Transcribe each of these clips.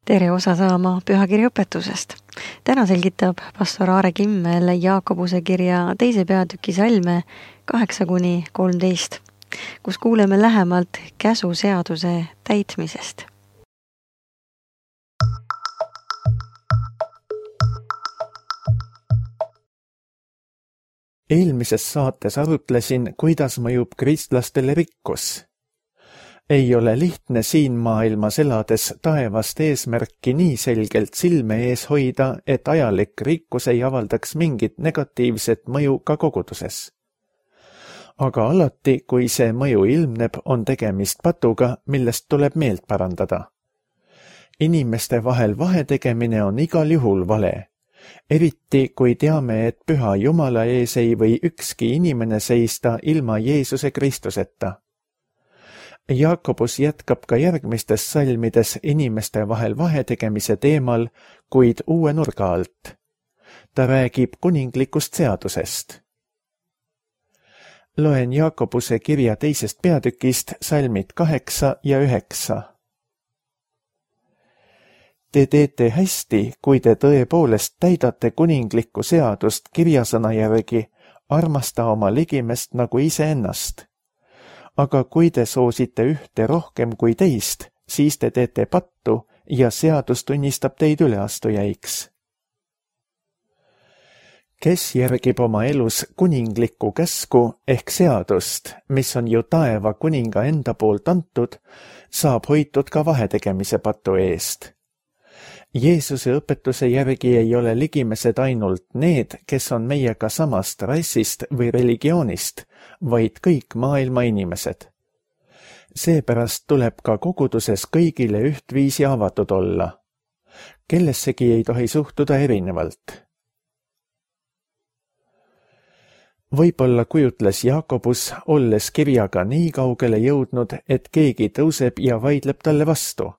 Tere osa saama pühakirja õpetusest. Täna selgitab pastor Aare Kimmel Jaakobuse kirja 2. peatüki salme 8-13, kus kuuleme lähemalt käsuseaduse täitmisest. Eelmises saates arutlesin, kuidas mõjub kristlastele rikkus. Ei ole lihtne siin maailmas elades taevast eesmärki nii selgelt silme ees hoida, et ajalik rikkus ei avaldaks mingit negatiivset mõju ka koguduses. Aga alati, kui see mõju ilmneb, on tegemist patuga, millest tuleb meelt parandada. Inimeste vahel vahetegemine on igal juhul vale. Eriti, kui teame, et püha Jumala ees ei või ükski inimene seista ilma Jeesuse Kristuseta. Jaakobus jätkab ka järgmistes salmides inimeste vahel vahetegemise teemal, kuid uue nurga alt. Ta räägib kuninglikust seadusest. Loen Jaakobuse kirja 2. peatükist salmid 8 ja 9. Te teete hästi, kui te tõepoolest täidate kuninglikku seadust kirjasõna järgi, armasta oma ligimest nagu iseennast. Aga kui te soosite ühte rohkem kui teist, siis te teete pattu ja seadus tunnistab teid üleastujaiks. Kes järgib oma elus kuninglikku käsku ehk seadust, mis on ju taeva kuninga enda poolt antud, saab hoitud ka vahetegemise patu eest. Jeesuse õpetuse järgi ei ole ligimesed ainult need, kes on meiega samast rassist või religioonist, vaid kõik maailma inimesed. Seepärast tuleb ka koguduses kõigile ühtviisi avatud olla. Kellessegi ei tohi suhtuda erinevalt. Võib-olla kujutles Jaakobus, olles kirjaga nii kaugele jõudnud, et keegi tõuseb ja vaidleb talle vastu.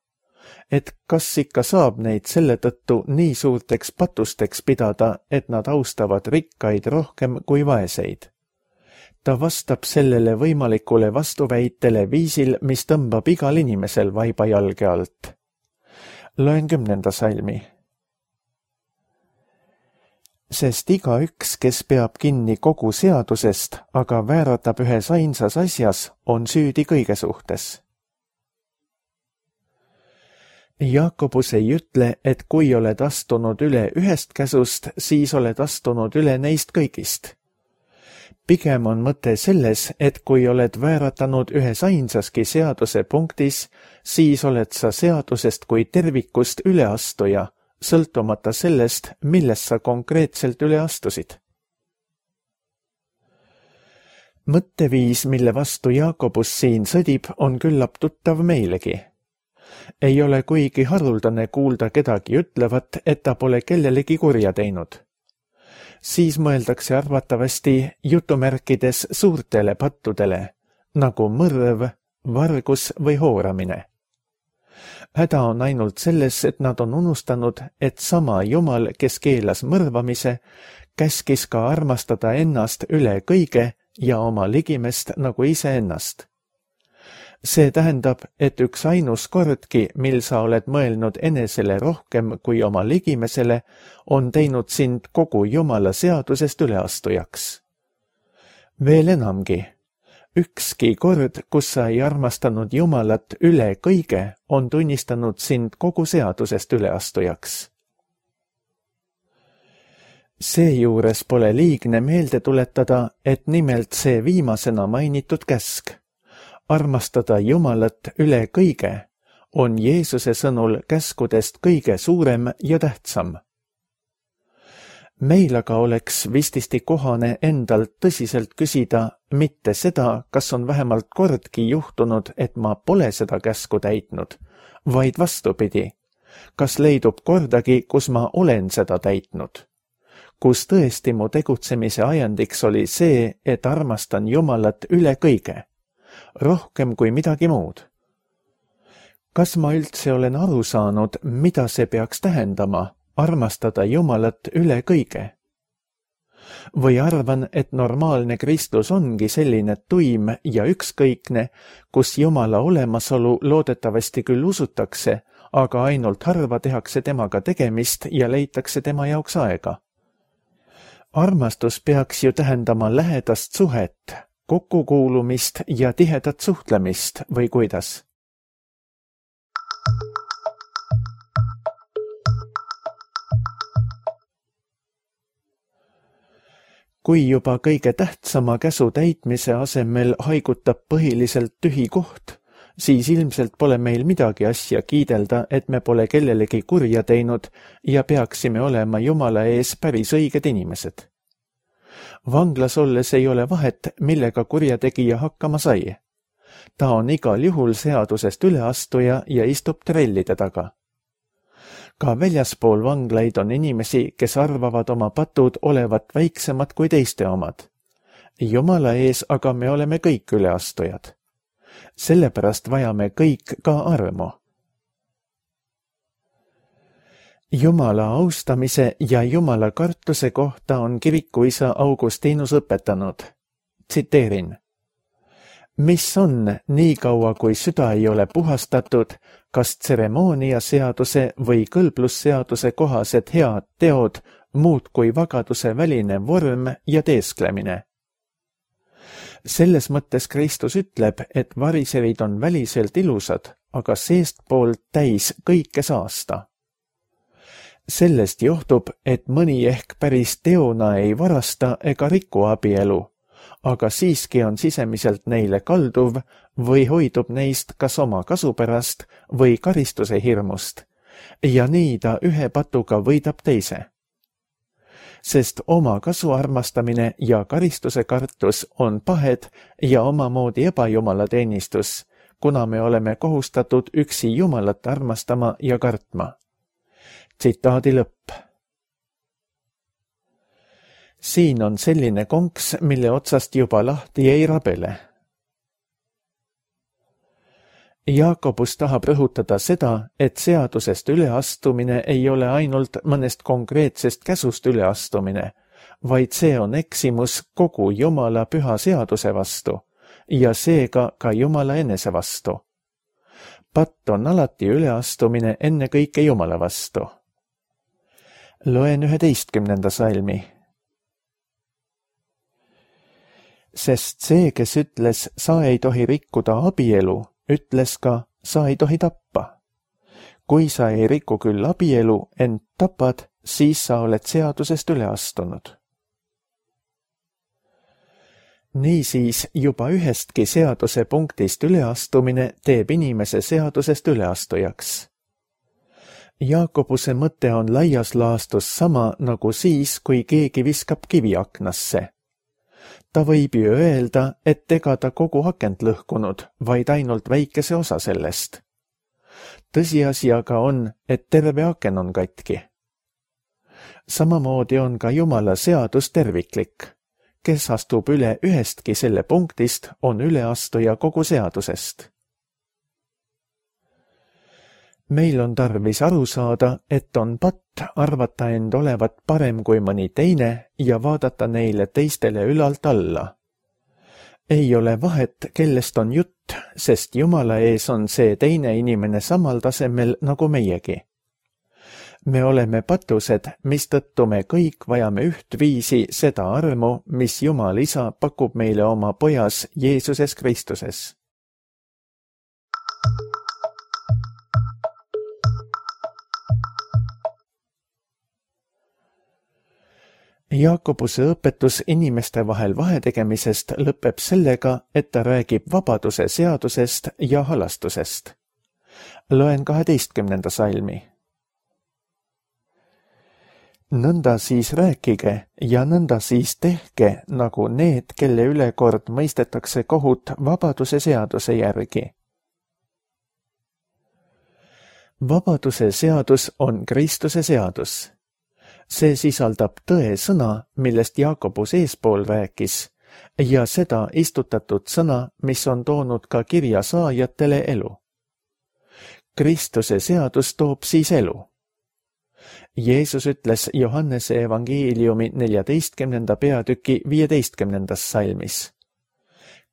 Et kas ikka saab neid selle tõttu nii suurteks patusteks pidada, et nad austavad rikkaid rohkem kui vaeseid. Ta vastab sellele võimalikule vastuväitele viisil, mis tõmbab igal inimesel vaiba jalge alt. Loen 10. salmi. Sest igaüks, kes peab kinni kogu seadusest, aga vääratab ühes ainsas asjas, on süüdi kõige suhtes. Jaakobus ei ütle, et kui oled astunud üle ühest käsust, siis oled astunud üle neist kõigist. Pigem on mõte selles, et kui oled vääratanud ühes ainsaski seaduse punktis, siis oled sa seadusest kui tervikust üleastuja, sõltumata sellest, millest sa konkreetselt üle astusid. Mõtteviis, mille vastu Jaakobus siin sõdib, on küllap tuttav meilegi. Ei ole kuigi haruldane kuulda kedagi ütlevat, et ta pole kellelegi kurja teinud. Siis mõeldakse arvatavasti jutumärkides suurtele pattudele, nagu mõrv, vargus või hooramine. Häda on ainult selles, et nad on unustanud, et sama Jumal, kes keelas mõrvamise, käskis ka armastada ennast üle kõige ja oma ligimest nagu iseennast. See tähendab, et üks ainus kordki, mil sa oled mõelnud enesele rohkem kui oma ligimesele, on teinud sind kogu Jumala seadusest üleastujaks. Veel enamgi, ükski kord, kus sa ei armastanud Jumalat üle kõige, on tunnistanud sind kogu seadusest üleastujaks. Seejuures pole liigne meelde tuletada, et nimelt see viimasena mainitud käsk, armastada Jumalat üle kõige, on Jeesuse sõnul käskudest kõige suurem ja tähtsam. Meil aga oleks vististi kohane endalt tõsiselt küsida mitte seda, kas on vähemalt kordki juhtunud, et ma pole seda käsku täitnud, vaid vastupidi, kas leidub kordagi, kus ma olen seda täitnud, kus tõesti mu tegutsemise ajendiks oli see, et armastan Jumalat üle kõige, rohkem kui midagi muud. Kas ma üldse olen aru saanud, mida see peaks tähendama, armastada Jumalat üle kõige? Või arvan, et normaalne kristlus ongi selline tuim ja ükskõikne, kus Jumala olemasolu loodetavasti küll usutakse, aga ainult harva tehakse temaga tegemist ja leitakse tema jaoks aega. Armastus peaks ju tähendama lähedast suhet, kokkukuulumist ja tihedat suhtlemist või kuidas? Kui juba kõige tähtsama käsu täitmise asemel haigutab põhiliselt tühi koht, siis ilmselt pole meil midagi asja kiidelda, et me pole kellelegi kurja teinud ja peaksime olema Jumala ees päris õiged inimesed. Vanglas olles ei ole vahet, millega kurjategija hakkama sai. Ta on igal juhul seadusest üleastuja ja istub trellide taga. Ka väljaspool vanglaid on inimesi, kes arvavad oma patud olevat väiksemad kui teiste omad. Jumala ees aga me oleme kõik üleastujad. Sellepärast vajame kõik ka armu. Jumala austamise ja Jumala kartuse kohta on kirikuisa Augustinus õpetanud. Tsiteerin. Mis on, nii kaua kui süda ei ole puhastatud, kas tseremooniaseaduse või kõlblusseaduse kohased head teod muud kui vagaduse väline vorm ja teesklemine? Selles mõttes Kristus ütleb, et variserid on väliselt ilusad, aga seestpoolt täis kõike saasta. Sellest johtub, et mõni ehk päris teona ei varasta ega riku abielu, aga siiski on sisemiselt neile kalduv või hoidub neist kas oma kasu pärast või karistuse hirmust, ja nii ta ühe patuga võidab teise. Sest oma kasu armastamine ja karistuse kartus on pahed ja omamoodi ebajumalateenistus, kuna me oleme kohustatud üksi Jumalat armastama ja kartma. Tsitaadi lõpp. Siin on selline konks, mille otsast juba lahti ei rabele. Jaakobus tahab rõhutada seda, et seadusest üleastumine ei ole ainult mõnest konkreetsest käsust üleastumine, vaid see on eksimus kogu Jumala püha seaduse vastu ja seega ka Jumala enese vastu. Patt on alati üleastumine ennekõike Jumala vastu. Loen 11. salmi. Sest see, kes ütles, sa ei tohi rikkuda abielu, ütles ka, sa ei tohi tappa. Kui sa ei riku küll abielu, ent tapad, siis sa oled seadusest üle astunud. Niisiis juba ühestki seaduse punktist üleastumine teeb inimese seadusest üleastujaks. Jaakobuse mõte on laias laastus sama nagu siis, kui keegi viskab kivi aknasse. Ta võib ju öelda, et ega ta kogu akent lõhkunud, vaid ainult väikese osa sellest. Tõsiasi aga on, et terve aken on katki. Samamoodi on ka Jumala seadus terviklik. Kes astub üle ühestki selle punktist, on üleastuja kogu seadusest. Meil on tarvis aru saada, et on patt arvata end olevat parem kui mõni teine ja vaadata neile teistele ülalt alla. Ei ole vahet, kellest on jutt, sest Jumala ees on see teine inimene samal tasemel nagu meiegi. Me oleme patused, mistõttu me kõik vajame ühtviisi seda armu, mis Jumal Isa pakub meile oma pojas Jeesuses Kristuses. Jaakobuse õpetus inimeste vahel vahetegemisest lõpeb sellega, et ta räägib vabaduse seadusest ja halastusest. Loen 12. salmi. Nõnda siis rääkige ja nõnda siis tehke, nagu need, kelle üle kord mõistetakse kohut vabaduse seaduse järgi. Vabaduse seadus on Kristuse seadus. See sisaldab tõe sõna, millest Jaakobus eespool rääkis, ja seda istutatud sõna, mis on toonud ka kirja saajatele elu. Kristuse seadus toob siis elu. Jeesus ütles Johannese evangeeliumi 14. peatüki 15. salmis.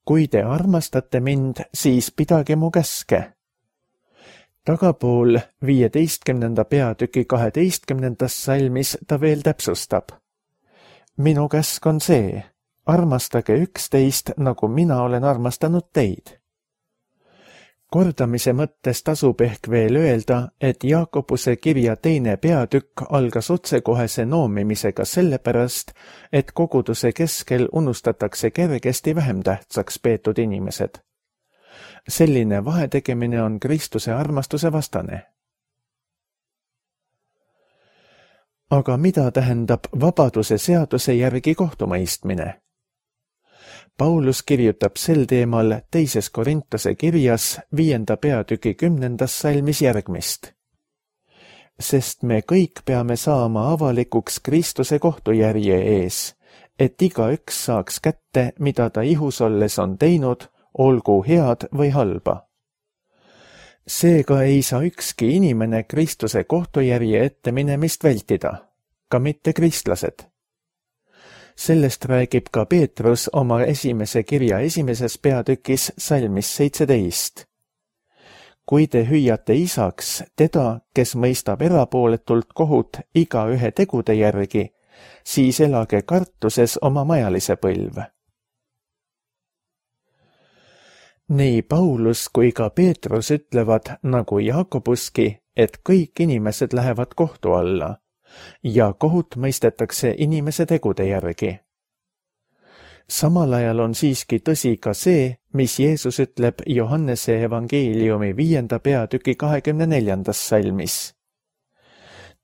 Kui te armastate mind, siis pidage mu käske. Tagapool 15. peatüki 12. salmis ta veel täpsustab. Minu käsk on see, armastage üksteist, nagu mina olen armastanud teid. Kordamise mõttes tasub ehk veel öelda, et Jaakobuse kirja 2. peatükk algas otsekohese noomimisega sellepärast, et koguduse keskel unustatakse kergesti vähem tähtsaks peetud inimesed. Selline vahetegemine on Kristuse armastuse vastane. Aga mida tähendab vabaduse seaduse järgi kohtumõistmine? Paulus kirjutab sel teemal 2. Korintuse kirjas 5. peatüki 10. salmis järgmist. Sest me kõik peame saama avalikuks Kristuse kohtujärje ees, et igaüks saaks kätte, mida ta ihus olles on teinud, olgu head või halba. Seega ei saa ükski inimene Kristuse kohtujärje ette minemist vältida, ka mitte kristlased. Sellest räägib ka Peetrus oma esimese kirja 1. peatükis salmis 17. Kui te hüüate isaks teda, kes mõistab erapooletult kohut igaühe tegude järgi, siis elage kartuses oma majalise põlv. Nii Paulus kui ka Peetrus ütlevad, nagu Jaakobuski, et kõik inimesed lähevad kohtu alla ja kohut mõistetakse inimese tegude järgi. Samal ajal on siiski tõsi ka see, mis Jeesus ütleb Johannese evangeeliumi 5. peatüki 24. salmis.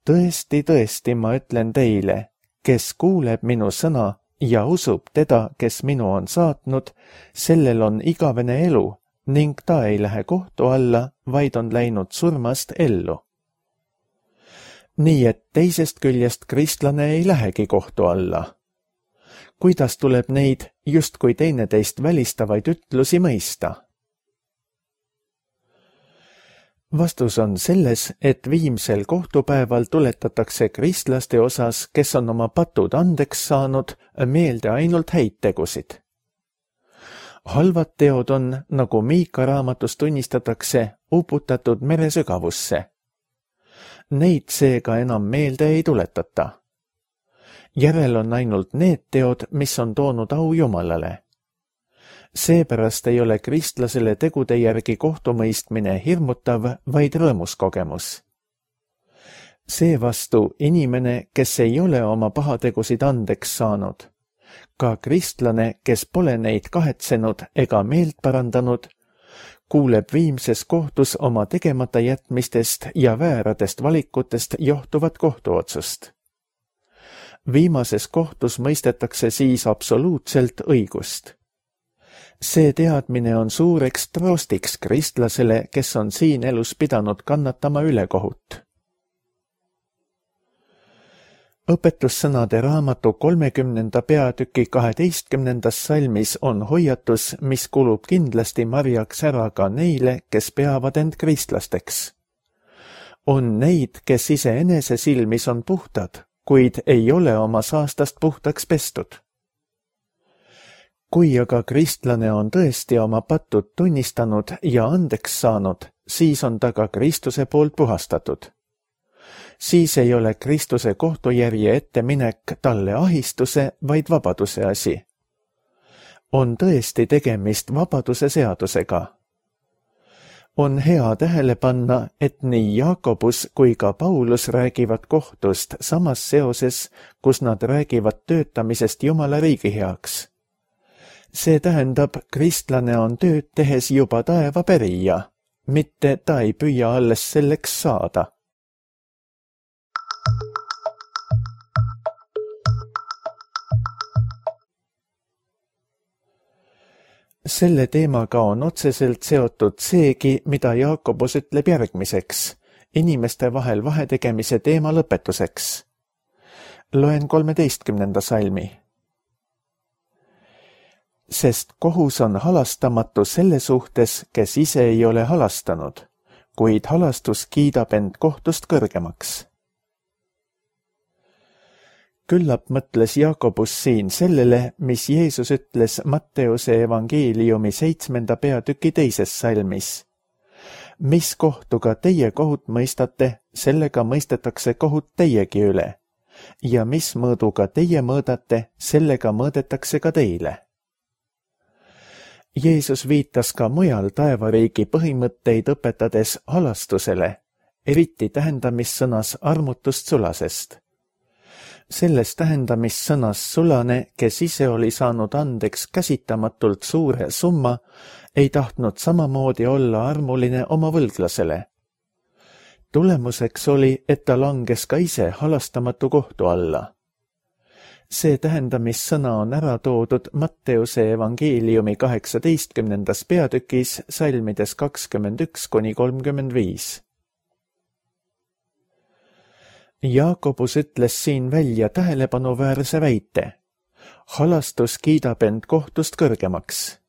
Tõesti, tõesti, ma ütlen teile, kes kuuleb minu sõna ja usub teda, kes minu on saatnud, sellel on igavene elu ning ta ei lähe kohtu alla, vaid on läinud surmast ellu. Nii et teisest küljest kristlane ei lähegi kohtu alla. Kuidas tuleb neid justkui teineteist välistavaid ütlusi mõista? Vastus on selles, et viimsel kohtupäeval tuletatakse kristlaste osas, kes on oma patud andeks saanud, meelde ainult häid tegusid. Halvad teod on, nagu Miika raamatus tunnistatakse, uputatud mere sügavusse. Neid seega enam meelde ei tuletata. Järel on ainult need teod, mis on toonud au Jumalale. Seepärast ei ole kristlasele tegude järgi kohtumõistmine hirmutav, vaid rõõmus kogemus. Seevastu inimene, kes ei ole oma pahategusid andeks saanud, ka kristlane, kes pole neid kahetsenud ega meelt parandanud, kuuleb viimses kohtus oma tegemata jätmistest ja vääradest valikutest johtuvat kohtuotsust. Viimases kohtus mõistetakse siis absoluutselt õigust. See teadmine on suureks troostiks kristlasele, kes on siin elus pidanud kannatama ülekohut. Õpetussõnade raamatu 30. peatüki 12. salmis on hoiatus, mis kulub kindlasti marjaks ära ka neile, kes peavad end kristlasteks. On neid, kes iseenese silmis on puhtad, kuid ei ole oma saastast puhtaks pestud. Kui aga kristlane on tõesti oma patud tunnistanud ja andeks saanud, siis on ta ka Kristuse poolt puhastatud. Siis ei ole Kristuse kohtujärje etteminek talle ahistuse, vaid vabaduse asi. On tõesti tegemist vabaduse seadusega. On hea tähele panna, et nii Jaakobus kui ka Paulus räägivad kohtust samas seoses, kus nad räägivad töötamisest Jumala riigi heaks. See tähendab, kristlane on tööd tehes juba taeva pärija, mitte ta ei püüa alles selleks saada. Selle teemaga on otseselt seotud seegi, mida Jaakobus ütleb järgmiseks, inimeste vahel vahetegemise teema lõpetuseks. Loen 13. salmi. Sest kohus on halastamatu selle suhtes, kes ise ei ole halastanud, kuid halastus kiidab end kohtust kõrgemaks. Küllap mõtles Jaakobus siin sellele, mis Jeesus ütles Matteuse evangeeliumi 7. peatüki 2. salmis. mis kohtuga teie kohut mõistate, sellega mõistetakse kohut teiegi üle. Ja mis mõõduga teie mõõdate, sellega mõõdetakse ka teile. Jeesus viitas ka mujal taevariigi põhimõtteid õpetades halastusele, eriti tähendamissõnas armutust sulasest. Selles tähendamissõnas sulane, kes ise oli saanud andeks käsitamatult suure summa, ei tahtnud samamoodi olla armuline oma võlglasele. Tulemuseks oli, et ta langes ka ise halastamatu kohtu alla. See tähendamissõna on ära toodud Matteuse evangeeliumi 18. peatükis salmides 21–35. Jaakobus ütles siin välja tähelepanuväärse väite. Halastus kiidab end kohtust kõrgemaks.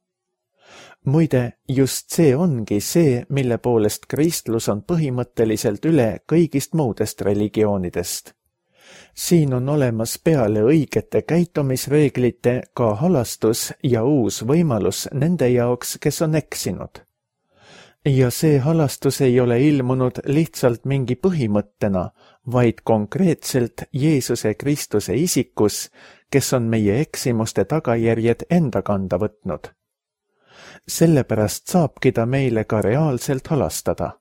Muide, just see ongi see, mille poolest kristlus on põhimõtteliselt üle kõigist muudest religioonidest. Siin on olemas peale õigete käitumisreeglite ka halastus ja uus võimalus nende jaoks, kes on eksinud. Ja see halastus ei ole ilmunud lihtsalt mingi põhimõttena, vaid konkreetselt Jeesuse Kristuse isikus, kes on meie eksimuste tagajärjed enda kanda võtnud. Sellepärast saabki ta meile ka reaalselt halastada.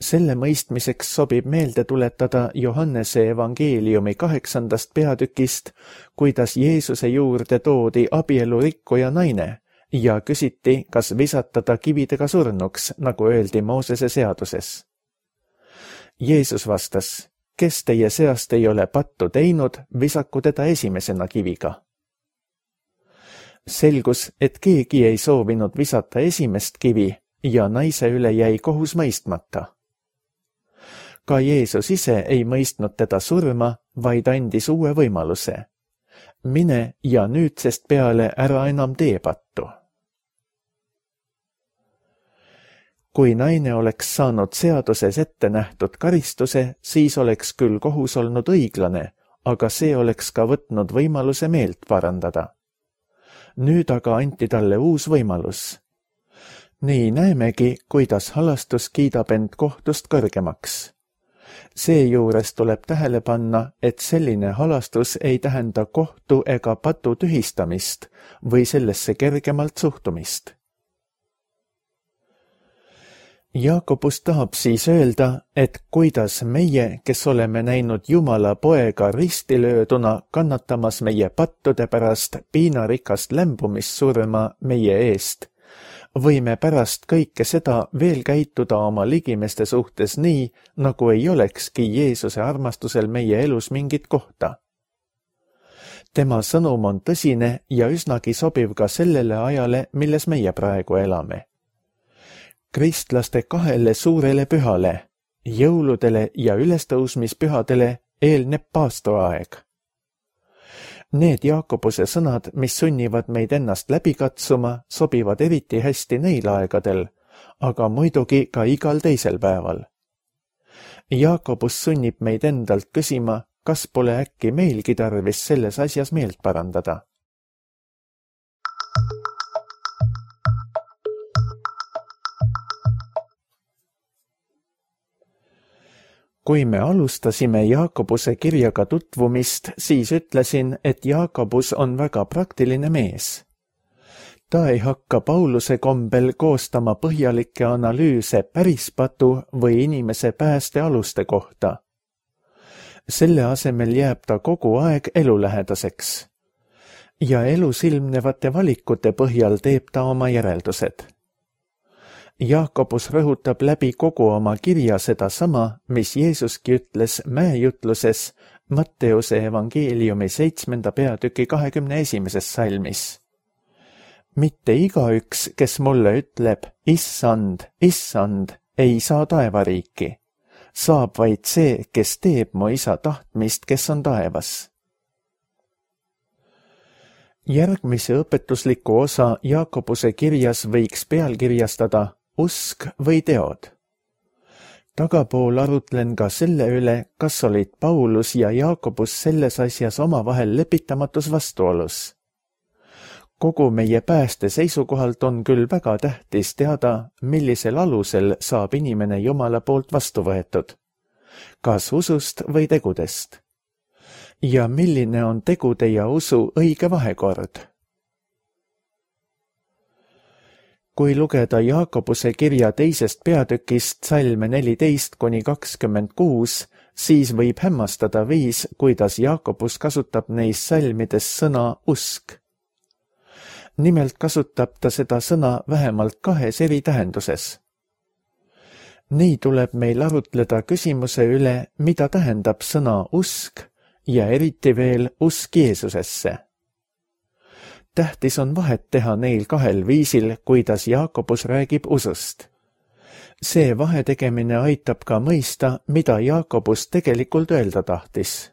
Selle mõistmiseks sobib meelde tuletada Johannese evangeeliumi 8. peatükist, kuidas Jeesuse juurde toodi abielurikkuja naine ja küsiti, kas visata ta kividega surnuks, nagu öeldi Moosese seaduses. Jeesus vastas, kes teie seast ei ole pattu teinud, visaku teda esimesena kiviga. Selgus, et keegi ei soovinud visata esimest kivi ja naise üle jäi kohus mõistmata. Ka Jeesus ise ei mõistnud teda surma, vaid andis uue võimaluse. Mine ja nüüdsest peale ära enam tee pattu. Kui naine oleks saanud seaduses ette nähtud karistuse, siis oleks küll kohus olnud õiglane, aga see oleks ka võtnud võimaluse meelt parandada. Nüüd aga anti talle uus võimalus. Nii näemegi, kuidas halastus kiidab end kohtust kõrgemaks. Seejuures tuleb tähele panna, et selline halastus ei tähenda kohtu ega patu tühistamist või sellesse kergemalt suhtumist. Jaakobus tahab siis öelda, et kuidas meie, kes oleme näinud Jumala poega ristilööduna kannatamas meie pattude pärast piinarikast lämbumissurma meie eest, võime pärast kõike seda veel käituda oma ligimeste suhtes nii, nagu ei olekski Jeesuse armastusel meie elus mingit kohta. Tema sõnum on tõsine ja üsnagi sobiv ka sellele ajale, milles meie praegu elame. Kristlaste kahele suurele pühale, jõuludele ja ülestõusmispühadele eelneb paastoaeg. Need Jaakobuse sõnad, mis sunnivad meid ennast läbi katsuma, sobivad eriti hästi neil aegadel, aga muidugi ka igal teisel päeval. Jaakobus sunnib meid endalt küsima, kas pole äkki meilgi tarvis selles asjas meelt parandada. Kui me alustasime Jaakobuse kirjaga tutvumist, siis ütlesin, et Jaakobus on väga praktiline mees. Ta ei hakka Pauluse kombel koostama põhjalikke analüüse pärispatu või inimese pääste aluste kohta. Selle asemel jääb ta kogu aeg elulähedaseks. Ja elus ilmnevate valikute põhjal teeb ta oma järeldused. Jaakobus rõhutab läbi kogu oma kirja sedasama, mis Jeesuski ütles mäejutluses Matteuse evangeeliumi 7. peatüki 21. salmis. Mitte igaüks, kes mulle ütleb, issand, issand, ei saa taevariiki. Saab vaid see, kes teeb mu isa tahtmist, kes on taevas. Järgmise õpetusliku osa Jaakobuse kirjas võiks pealkirjastada usk või teod. Tagapool arutlen ka selle üle, kas olid Paulus ja Jaakobus selles asjas omavahel lepitamatus vastuolus. Kogu meie pääste seisukohalt on küll väga tähtis teada, millisel alusel saab inimene Jumala poolt vastu võetud, kas usust või tegudest, ja milline on tegude ja usu õige vahekord. Kui lugeda Jaakobuse kirja 2. peatükist salme 14–26, siis võib hämmastada viis, kuidas Jaakobus kasutab neis salmides sõna usk. Nimelt kasutab ta seda sõna vähemalt 2 eri tähenduses. Nii tuleb meil arutleda küsimuse üle, mida tähendab sõna usk ja eriti veel usk Jeesusesse. Tähtis on vahet teha neil 2 viisil, kuidas Jaakobus räägib usust. See vahetegemine aitab ka mõista, mida Jaakobus tegelikult öelda tahtis.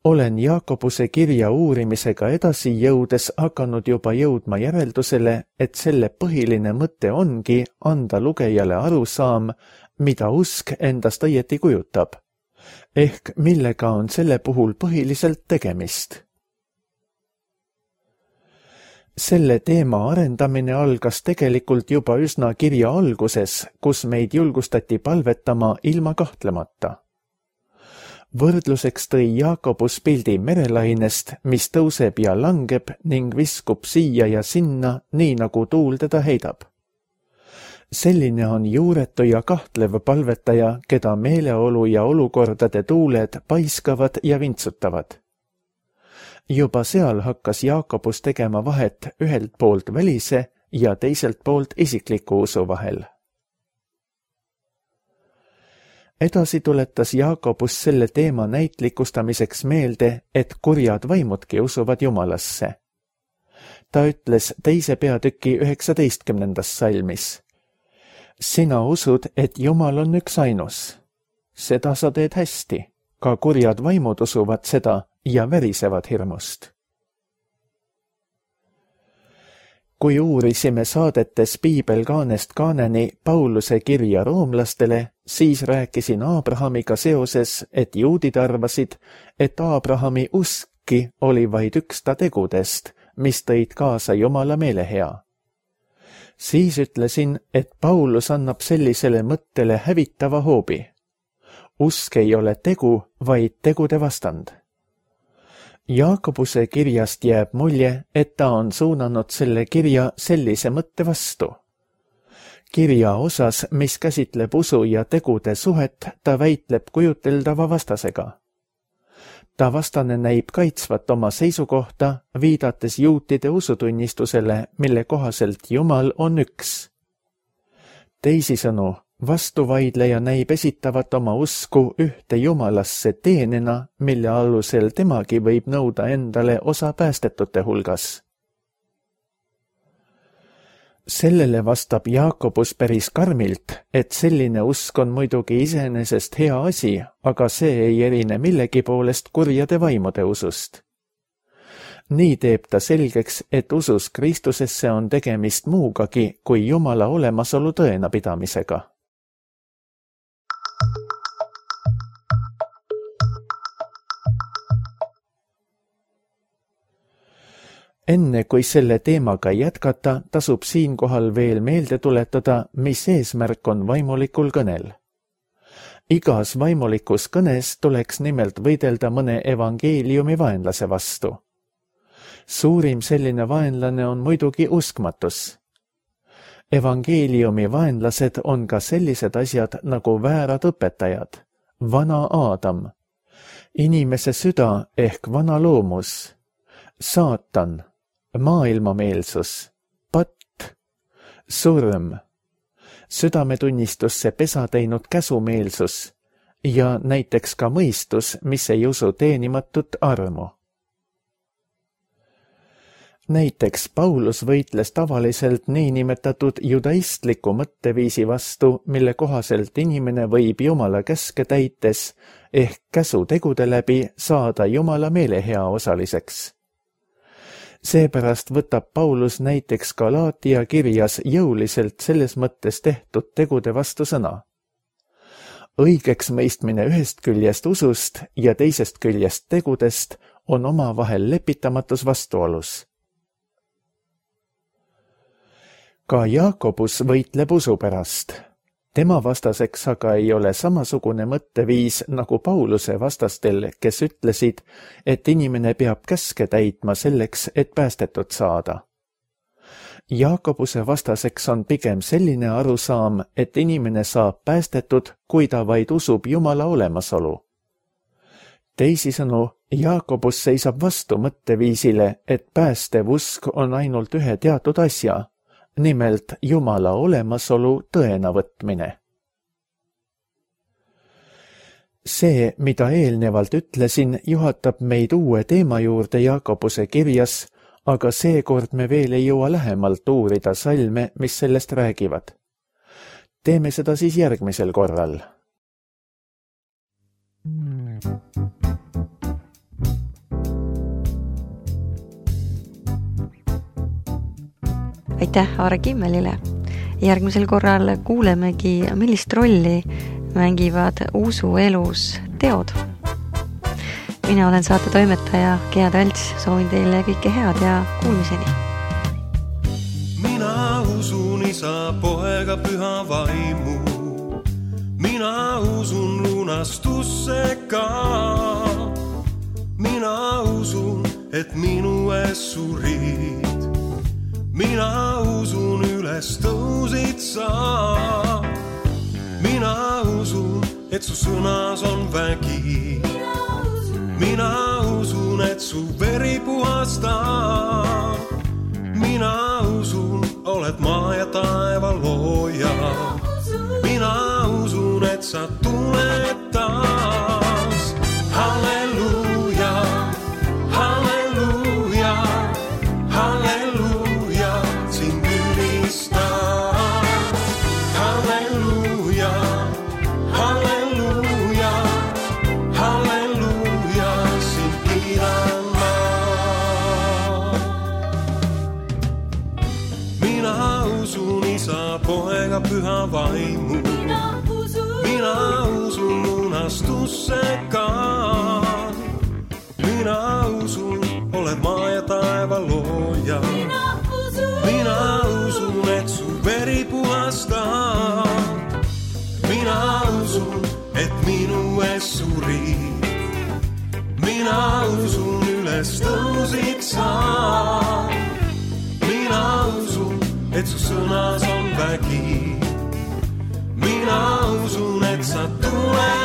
Olen Jaakobuse kirja uurimisega edasi jõudes hakanud juba jõudma järeldusele, et selle põhiline mõte ongi anda lugejale arusaam, mida usk endast õieti kujutab, ehk millega on selle puhul põhiliselt tegemist. Selle teema arendamine algas tegelikult juba üsna kirja alguses, kus meid julgustati palvetama ilma kahtlemata. Võrdluseks tõi Jaakobus pildi merelainest, mis tõuseb ja langeb ning viskub siia ja sinna, nii nagu tuul teda heidab. Selline on juuretu ja kahtlev palvetaja, keda meeleolu ja olukordade tuuled paiskavad ja vintsutavad. Juba seal hakkas Jaakobus tegema vahet ühelt poolt välise ja teiselt poolt isikliku usu vahel. Edasi tuletas Jaakobus selle teema näitlikustamiseks meelde, et kurjad vaimudki usuvad Jumalasse. Ta ütles 2. peatüki 19. salmis. Sina usud, et Jumal on üks ainus. Seda sa teed hästi. Ka kurjad vaimud usuvad seda ja värisevad hirmust. Kui uurisime saadetes piibelkaanest kaaneni Pauluse kirja roomlastele, siis rääkisin Abrahamiga seoses, et juudid arvasid, et Abrahami uskki oli vaid üks ta tegudest, mis tõid kaasa Jumala meelehea. Siis ütlesin, et Paulus annab sellisele mõttele hävitava hoobi. Usk ei ole tegu, vaid tegude vastand. Jaakobuse kirjast jääb mulje, et ta on suunanud selle kirja sellise mõtte vastu. Kirja osas, mis käsitleb usu ja tegude suhet, ta väitleb kujuteldava vastasega. Ta vastane näib kaitsvat oma seisukohta, viidates juutide usutunnistusele, mille kohaselt Jumal on üks. Teisisõnu, vastuvaidleja näib esitavat oma usku ühte Jumalasse teenena, mille alusel temagi võib nõuda endale osa päästetute hulgas. Sellele vastab Jaakobus päris karmilt, et selline usk on muidugi iseenesest hea asi, aga see ei erine millegi poolest kurjade vaimude usust. Nii teeb ta selgeks, et usus Kristusesse on tegemist muugagi kui Jumala olemasolu tõena pidamisega. Enne kui selle teemaga jätkata, tasub siinkohal veel meelde tuletada, mis eesmärk on vaimulikul kõnel. Igas vaimulikus kõnes tuleks nimelt võidelda mõne evangeeliumi vaenlase vastu. Suurim selline vaenlane on muidugi uskmatus. Evangeeliumi vaenlased on ka sellised asjad nagu väärad õpetajad, vana Aadam, inimese süda ehk vana loomus, saatan, maailmameelsus, patt, surm, südametunnistusse pesa teinud käsumeelsus ja näiteks ka mõistus, mis ei usu teenimatut armu. Näiteks Paulus võitles tavaliselt niinimetatud judaistliku mõtteviisi vastu, mille kohaselt inimene võib Jumala käske täites ehk käsutegude läbi saada Jumala meelehea osaliseks. Seepärast võtab Paulus näiteks Galaatia kirjas jõuliselt selles mõttes tehtud tegude vastu sõna. Õigeks mõistmine ühest küljest usust ja teisest küljest tegudest on omavahel lepitamatus vastuolus. Ka Jaakobus võitleb usu pärast. Tema vastaseks aga ei ole samasugune mõtteviis nagu Pauluse vastastel, kes ütlesid, et inimene peab käske täitma selleks, et päästetud saada. Jaakobuse vastaseks on pigem selline arusaam, et inimene saab päästetud, kui ta vaid usub Jumala olemasolu. Teisisõnu, Jaakobus seisab vastu mõtteviisile, et päästev usk on ainult ühe teatud asja, nimelt Jumala olemasolu tõena võtmine. See, mida eelnevalt ütlesin, juhatab meid uue teema juurde Jaakobuse kirjas, aga seekord me veel ei jõua lähemalt uurida salme, mis sellest räägivad. Teeme seda siis järgmisel korral. Aitäh Aare Kimmelile. Järgmisel korral kuulemegi, millist rolli mängivad usuelus teod. Mina olen saate toimetaja Gea Talts, soovin teile kõike head ja kuulmiseni. Mina usun Isa, Poega, Püha Vaimu. Mina usun lunastusse ka. Mina usun, et minu ees surid. Mina usun üles tõusid sa. Mina usun, et su sõnas on vägi. Mina usun, et su veri puhastab. Mina usun, oled maa ja taeva looja. Mina usun, et sa tuled taas. Halleluuja, halleluuja, halleluuja, sind ülistan. Halleluuja, halleluuja, halleluuja, sind kiidan ma. Mina usun Isa, Poega, Püha Vaimu. Mina usun lunastusse ka. Mina usun, oled maa ja taeva looja. Mina usun, et su veri puhastab. Mina usun, et minu ees surid. Mina usun, üles tõusid sa. Mina usun, et su sõnas on vägi. Mina usun, et sa tuled